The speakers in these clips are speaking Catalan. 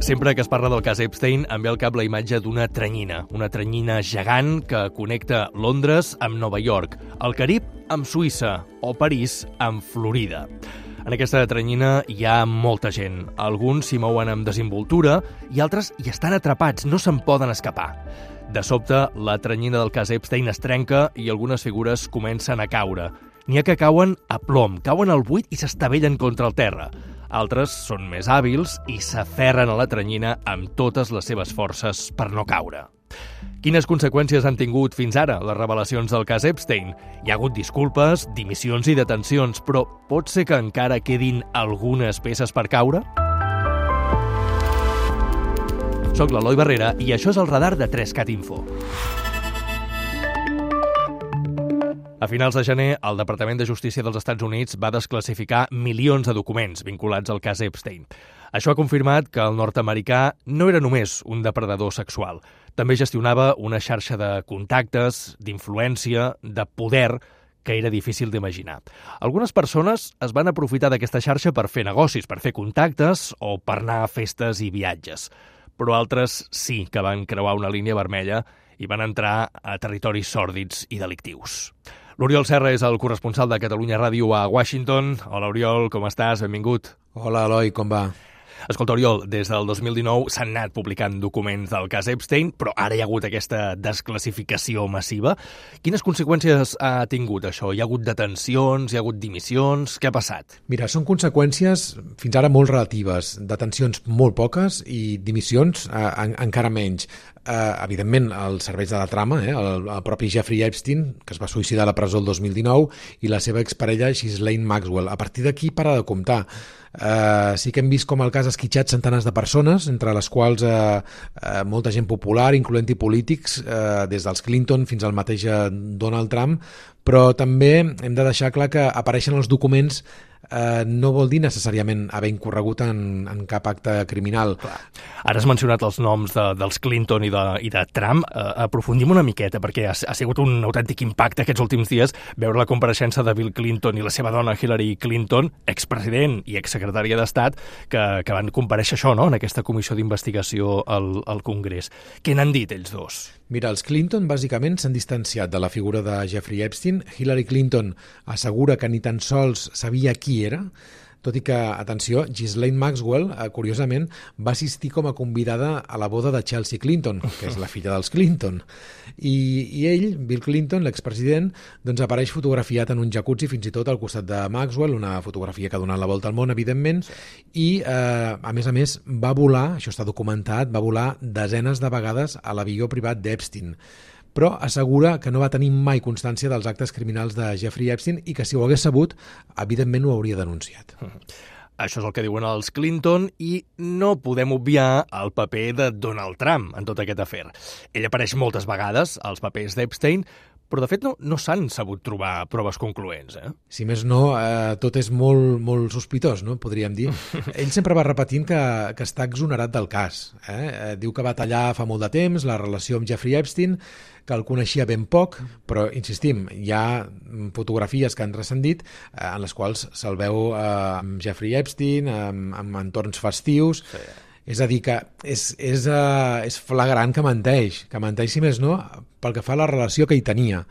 Sempre que es parla del cas Epstein em ve al cap la imatge d'una teranyina gegant que connecta Londres amb Nova York, el Carib amb Suïssa o París amb Florida. En aquesta teranyina hi ha molta gent. Alguns s'hi mouen amb desimboltura i altres hi estan atrapats, no se'n poden escapar. De sobte, la teranyina del cas Epstein es trenca i algunes figures comencen a caure. N'hi ha que cauen a plom, cauen al buit i s'estavellen contra el terra. Altres són més hàbils i s'aferren a la teranyina amb totes les seves forces per no caure. Quines conseqüències han tingut fins ara les revelacions del cas Epstein? Hi ha hagut disculpes, dimissions i detencions, però pot ser que encara quedin algunes peces per caure? Soc l'Eloi Barrera i això és el radar de 3Cat Info. A finals de gener, el Departament de Justícia dels Estats Units va desclassificar milions de documents vinculats al cas Epstein. Això ha confirmat que el nord-americà no era només un depredador sexual. També gestionava una xarxa de contactes, d'influència, de poder, que era difícil d'imaginar. Algunes persones es van aprofitar d'aquesta xarxa per fer negocis, per fer contactes o per anar a festes i viatges. Però altres sí que van creuar una línia vermella i van entrar a territoris sòrdids i delictius. L'Oriol Serra és el corresponsal de Catalunya Ràdio a Washington. Hola, Oriol, com estàs? Benvingut. Hola, Eloi, com va? Escolta, Oriol, des del 2019 s'han anat publicant documents del cas Epstein, però ara hi ha hagut aquesta desclassificació massiva. Quines conseqüències ha tingut això? Hi ha hagut detencions, hi ha hagut dimissions? Què ha passat? Mira, són conseqüències fins ara molt relatives. Detencions molt poques i dimissions encara menys. Evidentment, els serveis de la trama, el propi Jeffrey Epstein, que es va suïcidar a la presó el 2019, i la seva exparella Ghislaine Maxwell. A partir d'aquí para de comptar. Sí que hem vist com el cas ha esquitxat centenars de persones, entre les quals molta gent popular, incloent-hi polítics, des dels Clinton fins al mateix Donald Trump, però també hem de deixar clar que apareixen els documents no vol dir necessàriament haver incorregut en cap acte criminal. Clar. Ara has mencionat els noms dels Clinton i de Trump. Aprofundim una miqueta, perquè ha sigut un autèntic impacte aquests últims dies veure la compareixença de Bill Clinton i la seva dona Hillary Clinton, expresident i exsecretària d'Estat, que van comparèixer això, no?, en aquesta comissió d'investigació al Congrés. Què n'han dit ells dos? Mira, els Clinton bàsicament s'han distanciat de la figura de Jeffrey Epstein. Hillary Clinton assegura que ni tan sols sabia qui era, tot i que, atenció, Ghislaine Maxwell, curiosament, va assistir com a convidada a la boda de Chelsea Clinton, que és la filla dels Clinton. I ell, Bill Clinton, l'expresident, doncs apareix fotografiat en un jacuzzi, fins i tot al costat de Maxwell, una fotografia que ha donat la volta al món, evidentment, i, a més, va volar, això està documentat, va volar desenes de vegades a l'avió privat d'Epstein, però assegura que no va tenir mai constància dels actes criminals de Jeffrey Epstein i que si ho hagués sabut, evidentment ho hauria denunciat. Això és el que diuen els Clinton i no podem obviar el paper de Donald Trump en tot aquest afer. Ell apareix moltes vegades als papers d'Epstein, però de fet no s'han sabut trobar proves concloents. Si més no, tot és molt, molt sospitós, no? Podríem dir. Ell sempre va repetint que està exonerat del cas. Diu que va tallar fa molt de temps la relació amb Jeffrey Epstein, que el coneixia ben poc, però, insistim, hi ha fotografies que han transcendit en les quals se'l veu amb Jeffrey Epstein, amb entorns festius. Sí. És a dir, que és flagrant que menteix, si més no, pel que fa a la relació que hi tenia.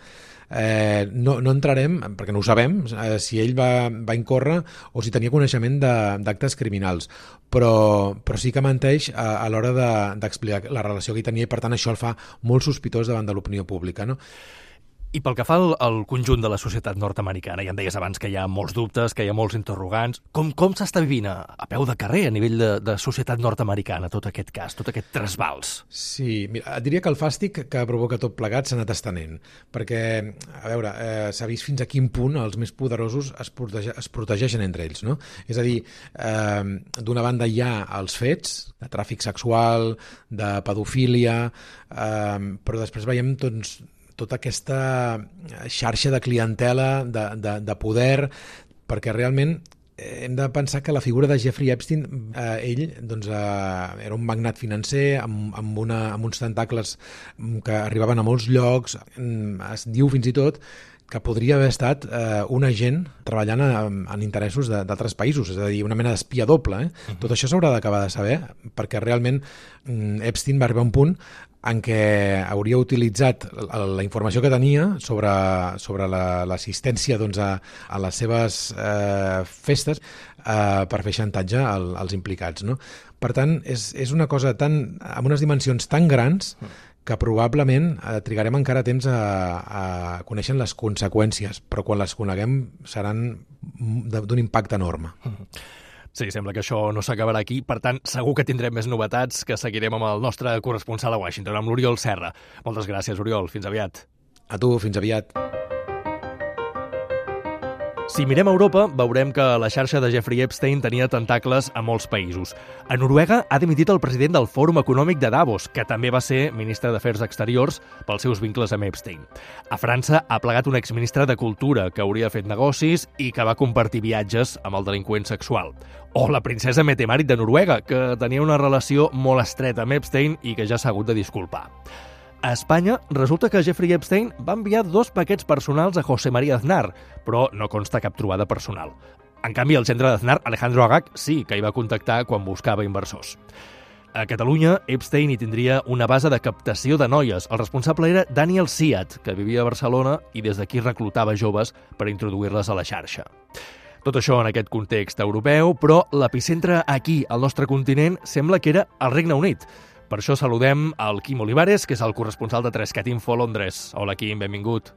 No entrarem, perquè no ho sabem, si ell va incórrer o si tenia coneixement d'actes criminals, però sí que menteix a l'hora d'explicar la relació que hi tenia i per tant això el fa molt sospitós davant de l'opinió pública, no? I pel que fa al conjunt de la societat nord-americana, ja em deies abans que hi ha molts dubtes, que hi ha molts interrogants, com s'està vivint a peu de carrer a nivell de societat nord-americana tot aquest cas, tot aquest trasbals? Sí, mira, et diria que el fàstic que provoca tot plegat s'ha anat estenent, perquè, a veure, s'ha vist fins a quin punt els més poderosos es protegeixen entre ells, no? És a dir, d'una banda hi ha els fets de tràfic sexual, de pedofília, però després veiem tota aquesta xarxa de clientela, de poder, perquè realment hem de pensar que la figura de Jeffrey Epstein, ell era un magnat financer amb uns tentacles que arribaven a molts llocs. Es diu fins i tot que podria haver estat un agent treballant en interessos d'altres països, és a dir, una mena d'espia doble. Tot això s'haurà d'acabar de saber, perquè realment Epstein va arribar a un punt en què hauria utilitzat la informació que tenia sobre l'assistència a les seves festes per fer xantatge als implicats, no? Per tant, és una cosa amb unes dimensions tan grans que probablement trigarem encara temps a conèixer les conseqüències, però quan les coneguem seran d'un impacte enorme. Sí, sembla que això no s'acabarà aquí, per tant, segur que tindrem més novetats que seguirem amb el nostre corresponsal a Washington, amb l'Oriol Serra. Moltes gràcies, Oriol. Fins aviat. A tu, fins aviat. Si mirem a Europa, veurem que la xarxa de Jeffrey Epstein tenia tentacles a molts països. A Noruega ha dimitit el president del Fòrum Econòmic de Davos, que també va ser ministre d'Afers Exteriors pels seus vincles amb Epstein. A França ha plegat un exministre de Cultura que hauria fet negocis i que va compartir viatges amb el delinqüent sexual. O la princesa Mette-Marit de Noruega, que tenia una relació molt estreta amb Epstein i que ja s'ha hagut de disculpar. A Espanya, resulta que Jeffrey Epstein va enviar 2 paquets personals a José María Aznar, però no consta cap trobada personal. En canvi, el gendre d'Aznar, Alejandro Agag, sí que hi va contactar quan buscava inversors. A Catalunya, Epstein hi tindria una base de captació de noies. El responsable era Daniel Siat, que vivia a Barcelona i des d'aquí reclutava joves per introduir-les a la xarxa. Tot això en aquest context europeu, però l'epicentre aquí, al nostre continent, sembla que era el Regne Unit. Per això saludem al Quim Olivares, que és el corresponsal de 3cat Info a Londres. Hola, Quim, benvingut.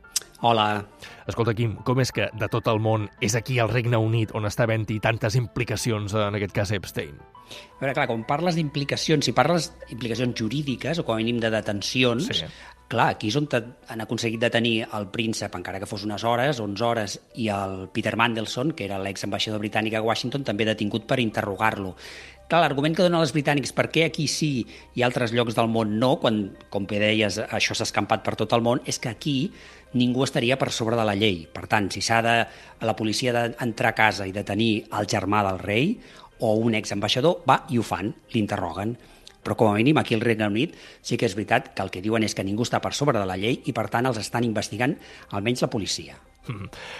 Hola. Escolta, Quim, com és que de tot el món és aquí al Regne Unit on està havent-hi tantes implicacions, en aquest cas Epstein? A veure, clar, quan parles d'implicacions, si parles d'implicacions jurídiques o com a mínim de detencions, sí. Clar, aquí és on han aconseguit detenir el príncep, encara que fos unes hores, 11 hores, i el Peter Mandelson, que era l'exambaixador britànic a Washington, també detingut per interrogar-lo. Clar, l'argument que donen els britànics per què aquí sí i altres llocs del món no, quan, com bé deies, això s'ha escampat per tot el món, és que aquí ningú estaria per sobre de la llei. Per tant, si la policia d'entrar a casa i detenir el germà del rei o un exambaixador, va i ho fan, l'interroguen. Però com a mínim aquí al Regne Unit sí que és veritat que el que diuen és que ningú està per sobre de la llei i per tant els estan investigant almenys la policia.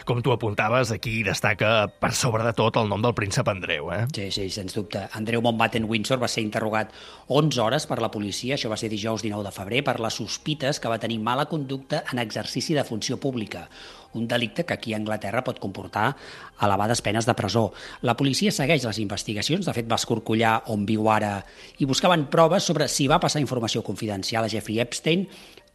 Com tu apuntaves, aquí destaca per sobre de tot el nom del príncep Andreu, eh? Sí, sens dubte. Andreu Mountbatten-Windsor va ser interrogat 11 hores per la policia, això va ser dijous 19 de febrer, per les sospites que va tenir mala conducta en exercici de funció pública, un delicte que aquí a Anglaterra pot comportar elevades penes de presó. La policia segueix les investigacions, de fet va escorcollar on viu ara i buscaven proves sobre si va passar informació confidencial a Jeffrey Epstein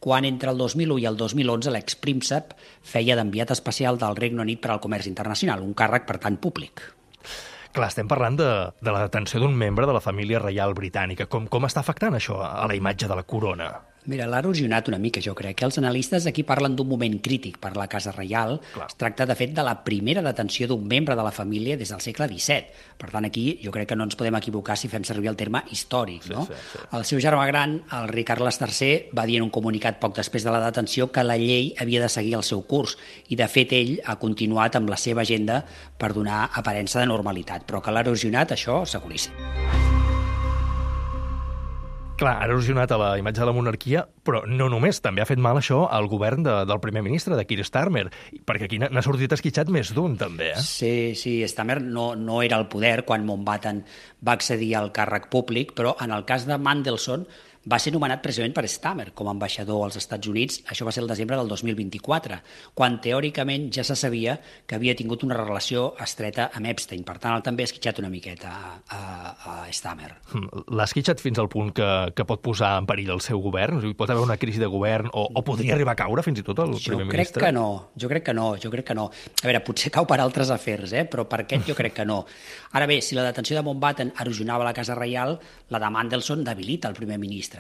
quan entre el 2001 i el 2011 l'expríncep feia d'enviat especial del Regne Unit per al comerç internacional, un càrrec, per tant, públic. Clar, estem parlant de la detenció d'un membre de la família reial britànica. Com està afectant això a la imatge de la corona? Mira, l'ha erosionat una mica, jo crec. Els analistes aquí parlen d'un moment crític per la Casa Reial. Clar. Es tracta, de fet, de la primera detenció d'un membre de la família des del segle XVII. Per tant, aquí jo crec que no ens podem equivocar si fem servir el terme històric, no? Sí. El seu germà gran, el rei Carles III, va dir en un comunicat poc després de la detenció que la llei havia de seguir el seu curs i, de fet, ell ha continuat amb la seva agenda per donar aparença de normalitat, però que l'ha erosionat, això seguríssim. Clar, ha erosionat a la imatge de la monarquia, però no només, també ha fet mal això al govern del primer ministre, de Keir Starmer, perquè aquí n'ha sortit esquitxat més d'un, també, eh? Sí, Starmer no era al poder quan Mountbatten va accedir al càrrec públic, però en el cas de Mandelson va ser nomenat precisament per Starmer com a ambaixador als Estats Units, això va ser el desembre del 2024, quan teòricament ja se sabia que havia tingut una relació estreta amb Epstein, per tant, també ha esquitxat una miqueta a Starmer. L'ha esquitxat fins al punt que pot posar en perill el seu govern? O sigui, pot haver una crisi de govern o podria arribar a caure fins i tot el primer ministre? Jo crec que no. A veure, potser cau per altres afers, però per aquest jo crec que no. Ara bé, si la detenció de Mountbatten erosionava la Casa Reial, la de Mandelson debilita el primer ministre.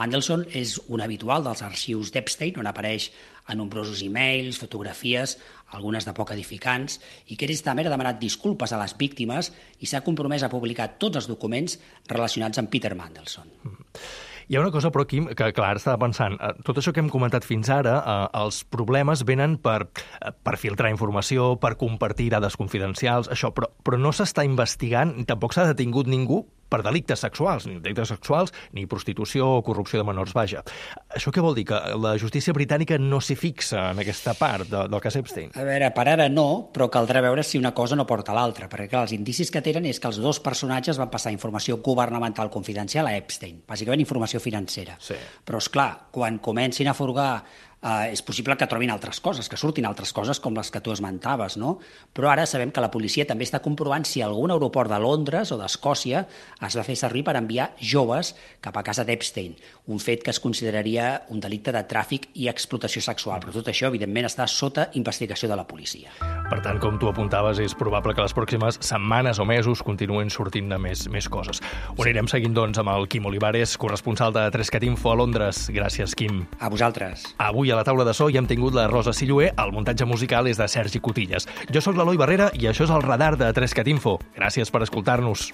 Mandelson és un habitual dels arxius d'Epstein, on apareix a nombrosos e-mails, fotografies, algunes de poc edificants, i Keir Starmer ha demanat disculpes a les víctimes i s'ha compromès a publicar tots els documents relacionats amb Peter Mandelson. Hi ha una cosa, però, Quim, que clar, estava pensant, tot això que hem comentat fins ara, els problemes venen per filtrar informació, per compartir dades confidencials, això, però no s'està investigant, ni tampoc s'ha detingut ningú per delictes sexuals, ni prostitució o corrupció de menors, vaja. Això què vol dir? Que la justícia britànica no s'hi fixa en aquesta part del cas Epstein? A veure, per ara no, però caldrà veure si una cosa no porta a l'altra, perquè clar, els indicis que tenen és que els dos personatges van passar informació governamental confidencial a Epstein, bàsicament informació financera. Sí. Però, és clar, quan comencin a furgar és possible que trobin altres coses, que surtin altres coses com les que tu esmentaves, no? Però ara sabem que la policia també està comprovant si algun aeroport de Londres o d'Escòcia es va fer servir per enviar joves cap a casa d'Epstein, un fet que es consideraria un delicte de tràfic i explotació sexual, però tot això, evidentment, està sota investigació de la policia. Per tant, com tu apuntaves, és probable que les pròximes setmanes o mesos continuen sortint-ne més coses. Ho anirem seguint, doncs, amb el Quim Olivares, corresponsal de 3cat Info a Londres. Gràcies, Quim. A vosaltres. Avui a la taula de so hi hem tingut la Rosa Silluer, el muntatge musical és de Sergi Cotillas. Jo sóc l'Eloi Barrera i això és el Radar de 3cat Info. Gràcies per escoltar-nos.